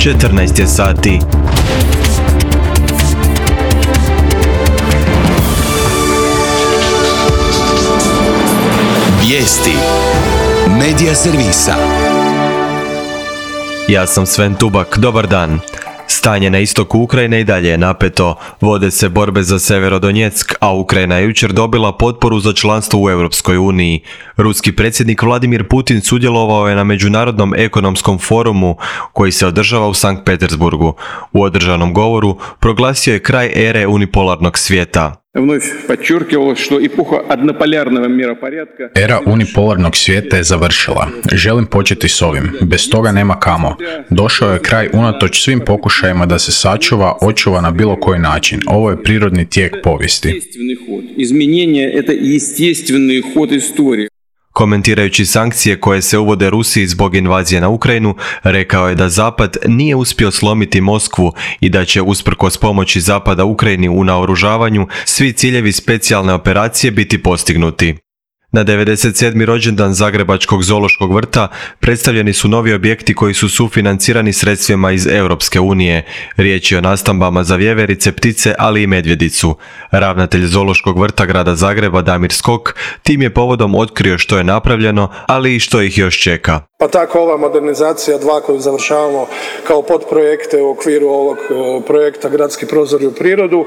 14 je sati. Vijesti Medija servisa. Ja sam Sven Tubak, dobar dan. Stanje na istoku Ukrajine i dalje je napeto. Vode se borbe za Severodonjeck, a Ukrajina je jučer dobila potporu za članstvo u Europskoj uniji. Ruski predsjednik Vladimir Putin sudjelovao je na Međunarodnom ekonomskom forumu koji se održava u Sankt Petersburgu. U održanom govoru proglasio je kraj ere unipolarnog svijeta. Era unipolarnog svijeta je završila. Želim početi s ovim. Bez toga nema kamo. Došao je kraj unatoč svim pokušajima da se sačuva, očuva na bilo koji način. Ovo je prirodni tijek povijesti. Komentirajući sankcije koje se uvode Rusiji zbog invazije na Ukrajinu, rekao je da Zapad nije uspio slomiti Moskvu i da će usprkos pomoći Zapada Ukrajini u naoružavanju svi ciljevi specijalne operacije biti postignuti. Na 97. rođendan Zagrebačkog zoološkog vrta predstavljeni su novi objekti koji su sufinancirani sredstvima iz Europske unije. Riječ je o nastambama za vjeverice, ptice, ali i medvjedicu. Ravnatelj zoološkog vrta grada Zagreba Damir Skok tim je povodom otkrio što je napravljeno, ali i što ih još čeka. Pa tako ova modernizacija 2 koju završavamo kao podprojekte u okviru ovog projekta Gradski prozori u prirodu,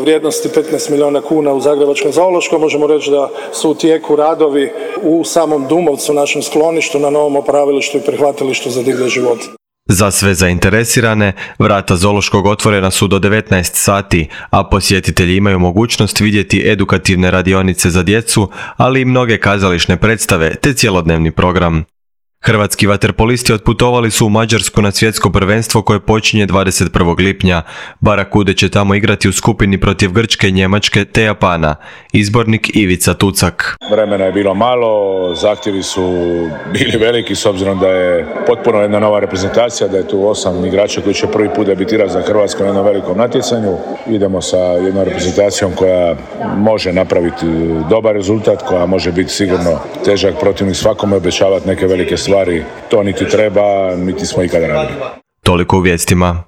vrijednosti 15 milijuna kuna u Zagrebačkom zoološkom. Možemo reći da su u tijeku radovi u samom Dumovcu, našem skloništu, na novom opravilištu i prihvatilištu za divlje živote. Za sve zainteresirane, vrata zoološkog otvorena su do 19 sati, a posjetitelji imaju mogućnost vidjeti edukativne radionice za djecu, ali i mnoge kazališne predstave te cjelodnevni program. Hrvatski vaterpolisti otputovali su u Mađarsku na svjetsko prvenstvo koje počinje 21. lipnja. Barakude će tamo igrati u skupini protiv Grčke, Njemačke te Japana. Izbornik Ivica Tucak. Vremena je bilo malo, zahtjevi su bili veliki s obzirom da je potpuno jedna nova reprezentacija, da je tu 8 igrača koji će prvi put debitirati za Hrvatsku na jednom velikom natjecanju. Idemo sa jednom reprezentacijom koja može napraviti dobar rezultat, koja može biti sigurno težak protivnik svakome, obećavati neke velike stvari. To niti treba, niti smo ikada radili. Toliko u vijestima.